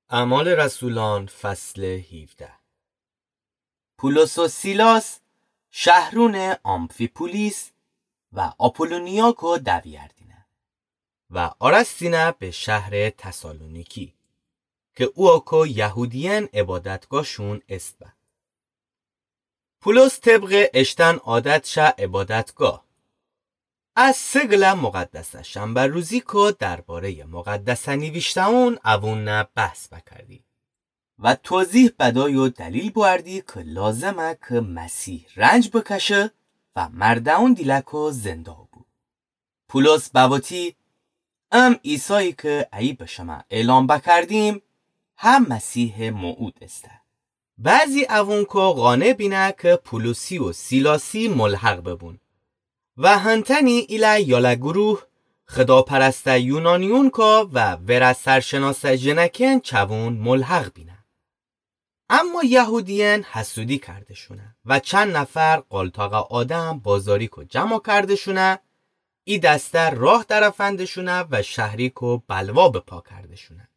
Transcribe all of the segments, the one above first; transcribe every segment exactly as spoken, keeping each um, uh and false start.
اعمال رسولان، فصل هیوده. پولس و سیلاس شهرون آمفی‌پولیس و آپولونیاکو دویردینه و آرستینه به شهر تسالونیکی، که اوکو یهودیأن عبادتگاهشون است به. پولس طبق اشتن عادت شه عبادتگاه، از سه گله مقدسه شنبه روزیکو دربارهٔ مقدسه نیویشته‌ون اوونه بحث بکردی و توضیح بدای و دلیل بوأردی که لازمه که مسیح رنج بکشه و مرده‌ون دیلکو زنده بو. پولس بوتی: ام عیسایی که ایی به شمه اعلام بکردیم، هم مسیح موعود استه. بعضی اوونکو قانع بینه که پولسی و سیلاسی ملحق ببون و هنتنی ایله یاله گروه خداپرسته یونانیونکو و وره سرشناسه ژنکن چوون ملحق بینه. اما یهودیأن حسودی کرده‌شونه و چند نفر قالتاق آدم بازاریکو جمع کرده‌شونه، ای دسته راه درفنده‌شونه و شهریکو بلوا به پا کرده‌شونه.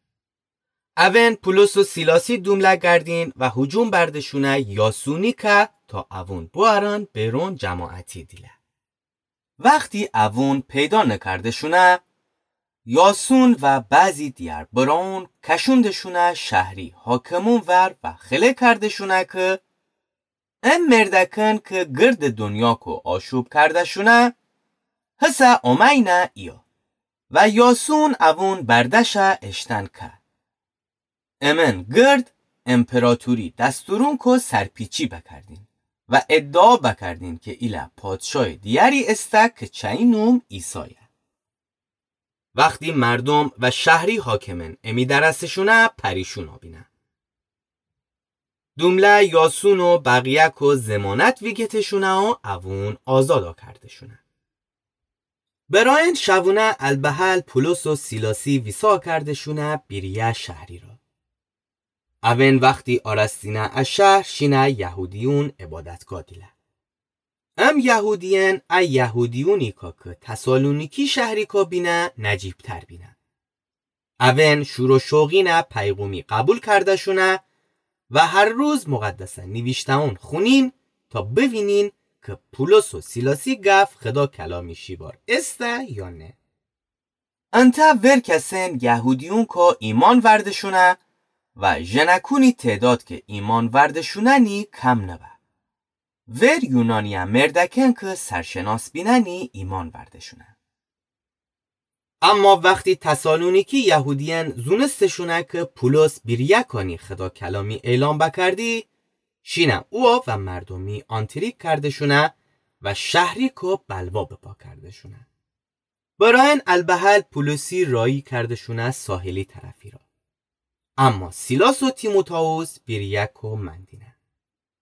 اون پولس و سیلاسی دومله گردین و هجوم برده‌شونه یاسونی که تا اوون بوأرن بیرون جماعتی دیله. وختی اوون پیدا نکرده‌شونه، یاسون و بعضی دیگر برأون کشونده‌شونه شهری حاکمون ور و خله کرده‌شونه که ام مردکن که گرد دنیاکو آشوب کرده‌شونه، هسه اومأیینه ایه و یاسون اوون برده‌شه اشتن که. امن گرد امپراتوری دستورونکو سرپیچی بکردین و ادعا بکردین که ایله پادشای دیگری استه که چی نوم عیسایه. وختی مردم و شهری حاکمن امی درسه‌شونه پریشون بینه. دومله یاسون و بقیه‌کو ضمانت ویگته‌شونه و اوون آزادا کرده‌شونه. برأ ان شوونه البهل پولس و سیلاسی ویسا کرده‌شونه بیریه شهری را. اون وختی آرستینه ا شهر شینه یهودیون عبادتگاه دیله. ام یهودیأن ا یهودیونیکو که تسالونیکی شهریکو بینه نجیبتر بینه. اون شور و شوقینه پیغومی قبول کرده‌شونه و هر روز مقدسه نیویشته‌ون خونین تا بوینین که پولس و سیلاسی گف خدا کلامی شیبار استه یا نه. انتأ ور کسن یهودیونکو ایمأن ورده‌شونه و ژنکونی تعداد که ایمأن ورده‌شونه‌نی کم نبه. ور یونانیه مردکن که سرشناس بینه‌نی ایمأن ورده‌شونه. اما وختی تسالونیکی یهودیأن زونسته‌شونه که پولس بیریه کانی خدا کلامی اعلام بکردی، شینه اوو و مردومی آنتریک کرده‌شونه و شهریکو بلوا به پا کرده‌شونه. برأ ان البهل پولسی راهی کرده‌شونه ساحلی طرفی را. اما سیلاس و تیموتائوس بیریه‌کو مأندینه.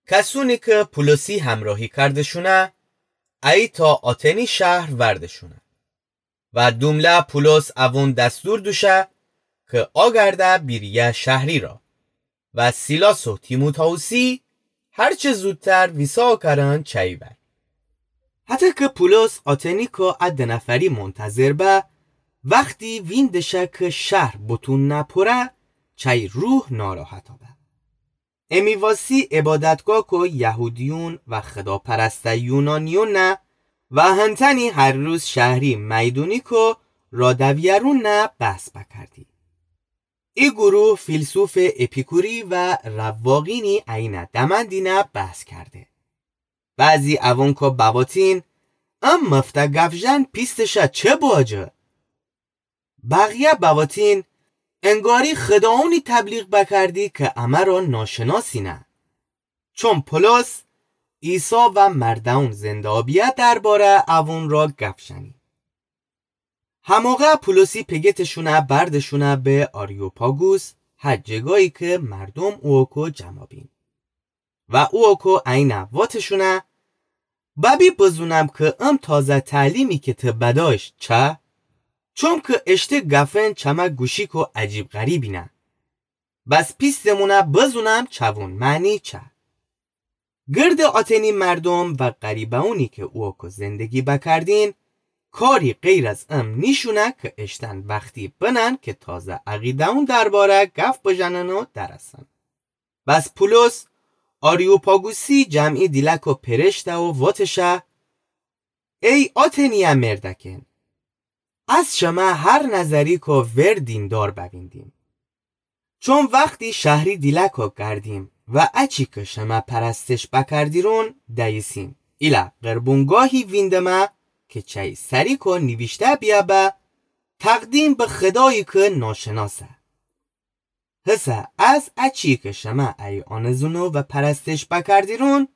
کسونی که پولسی همراهی کرده‌شونه، ایی تا آتنی شهر ورده‌شونه. و دومله پولس اوون دستور دوشه که آگرده بیریه شهری را و سیلاس و تیموتائوسی هر چه زودتر ویسا کرن چی ور. هتأ که پولس آتنیکو ا د نفری منتظر به، وختی ویندشه که شهر بتون نپره، چی روح ناراحتا به. امی واسی عبادتگاهکو یهودیون و خداپرسته یونانیون نه و هنتنی هر روز شهری میدونیکو را دویرون نه بحث بکردی. ای گروه فیلسوف اپیکوری و رواقینی اینه دمندینه بحث کرده. بعضی اوونکو بواتین، ام مفته گفژن پیستشه چه باجه؟ بقیه بواتین، انگاری خداونی تبلیغ بکردی که امه را ناشناسینه. چون پولس عیسی و مرده‌ون زنده‌آبیه درباره اوون را گفژنی. هموقع پولسی پگتشونه بردشونه به آریوپاگوس، هر جگایی که مردوم اوکو جمع بین. و اوکو اینه واتشونه، ببی بزونم که ام تازه تعلیمی که ته بدایش چه؟ چون که اشته گفن چمه گوشیکو عجیب غریبینه. بس پیستمونه بزونم چوون معنی چه. گرد آتنی مردوم و غریبه‌ونی که اوکو زندگی بکردین، کاری غیر از ام نیشونه که اشتن وختی بنن که تازه عقیده‌ون درباره گف بژنن و درسن. بس پولس آریوپاگوسی جمعی دیلکو پرشته و وتشه: ای آتنیه مردکن، از شمه هر نظریکو ور دیندار بویندیم. چون وختی شهری دیلکو گردیم و اچی که شمه پرستش بکردیرون دییسیم، ایله قربونگاهی ویندمه که چی سریکو نیویشته بیه به تقدیم به خدایی که ناشناسه. هسه از اچی که شمه ای آنزونو و پرستش بکردیرون،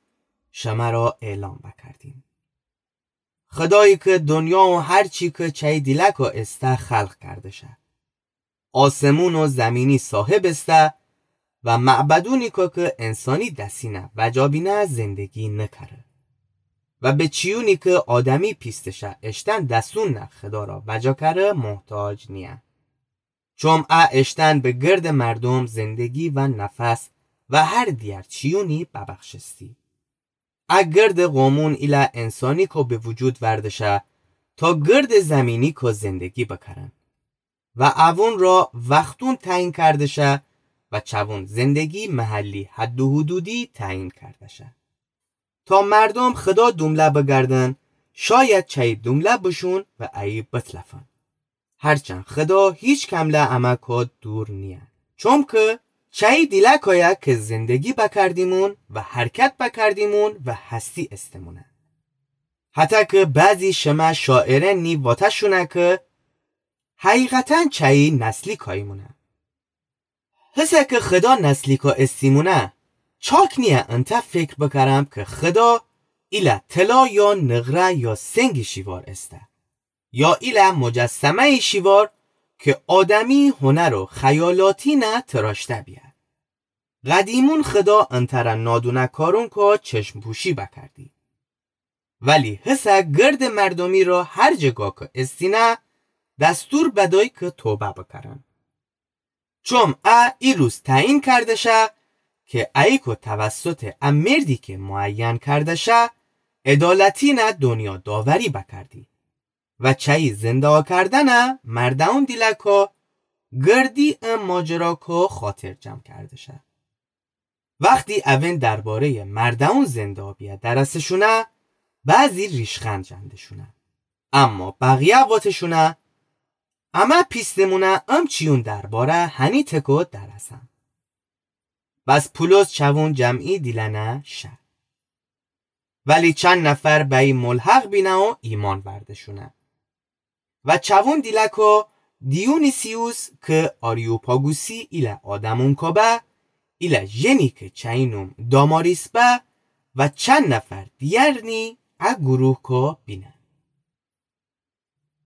شمه را اعلام بکردیم. خدایی که دنیا و هر چی که چی دیلکو ایسته خلق کرده شه، آسمون و زمینی صاحب ایسته و معبدونی که که انسانی دسینه وجا بینه زندگی نکره و به چیونی که آدمی پیستشه اشتن دسون نه خدا را وجا کره محتاج نیه. چوم ا اشتن به گرد مردم زندگی و نفس و هر دیگر چیونی ببخشستی. ا گرد قومون ایله انسانی کو به وجود وردشه تا گرد زمینی کو زندگی بکرن و اوون را وختون تعیین کردشه و چوون زندگی محلی حد و حدودی تعیین کردشه. تا مردم خدا دومله بگردن، شاید چی دومله بشون و ای بتلفن. هرچند خدا هیچ کمله امه کو دور نیه. چوم که چی دیلکویه که زندگی بکردیمون و حرکت بکردیمون و هستی استمونه. حتی که بعضی شمه شاعرنی واتشونه که حقیقتاً چی نسلیکاییمونه. هسه که خدا نسلیکا استیمونه، چاک نیه انته فکر بکرم که خدا ایله طلا یا نقره یا سنگی شیوار ایسته، یا ایله مجسمه‌ای شیوار که آدمی هنر و خیالاتی نه تراشته بیه. قدیمون خدا انتره نادونه کارونکا چشم پوشی بکردی. ولی هسه گرد مردمی را هر جگا که استینه دستور بدای که توبه بکرن. چوم ا ای روز تعیین کردشه که ایکو توسط ا مردی که معین کردشه عدالتی نه دنیا داوری بکردی و چی زنده کردنه مردون دیلکو گردی ا ماجراکو خاطر جمع کردشه. وختی اوین درباره‌ی مردون زندابیه درسشونه، بعضی ریشخند جندشونه. اما بقیه واتشونه، امه پیستمونه ام چیون درباره هنی تکو درسم. بس پولس چوون جمعی دیلنه شه. ولی چند نفر بئی ملحق بینه و ایمأن وردشونه. و چوون دیلکو دیونیسیوس که آریوپاگوسی ایله آدمونکو به، ایله ژنی که چی نوم داماریس به و چند نفر دیگرنی ا گروهکو بینه.